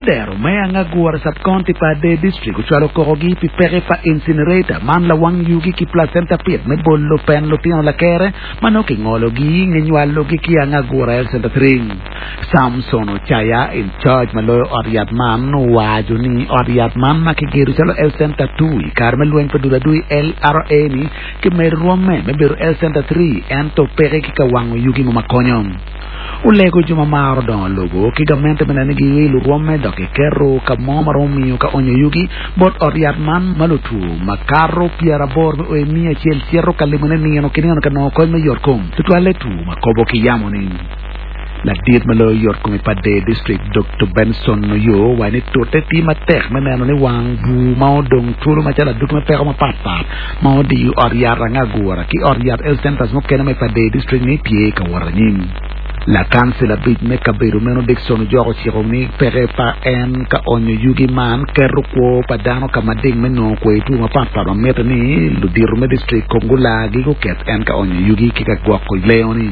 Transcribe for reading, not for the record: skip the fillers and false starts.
Dero me Angagura Sub-County pa Ader District ocwalo kokogi pi peke pa incinerator man lawang yugi ki placenta pit me bolo pen lutino lakere ma nongo kingologi nge nywalogi ki Angagura Health Center 3. Samson Ocaya in charge ma loyo ot yat man owaco ni ot yat man ma kigedo calo Health Center 2 i kare me lweny pa dul adui LRA ni kimedo rwomme me bedo Health Center 3 ento peke ki ka wango yugi mo ma konyo. Olego jo ma maro dongo lobo ki gamente me neno ni giwilo rwomme dok giketo ka mo ma romo miyo ka onyo yugi bot ot yat man ma lutwo makato pyeraboro me o i 100 cito ka limone nino ki nino ka nongo kony me yotkom, tutwalle two ma kobo ki yamo-ni. Ladit ma loyo yotkom i Pader District, Doktor Benson Oyo owaco ni tute tye matek me neno ni wang bur ma odong twolo macalo adwogi me peko mapat pat ma odiyo ot yat Angagura ki ot yat health centers mukene ma i Pader District ni tye ka wot anyim. Lakancil abic me kabedo meno Dickson Ojok ociko ni peke pa en ka onyo yugi man keto kwo pa dano ka mading me nongo kwer two mapat pat ma mitte ni ludito me district kong gulargi guket en ka onyo yugi ki ka gwoko lengo ni.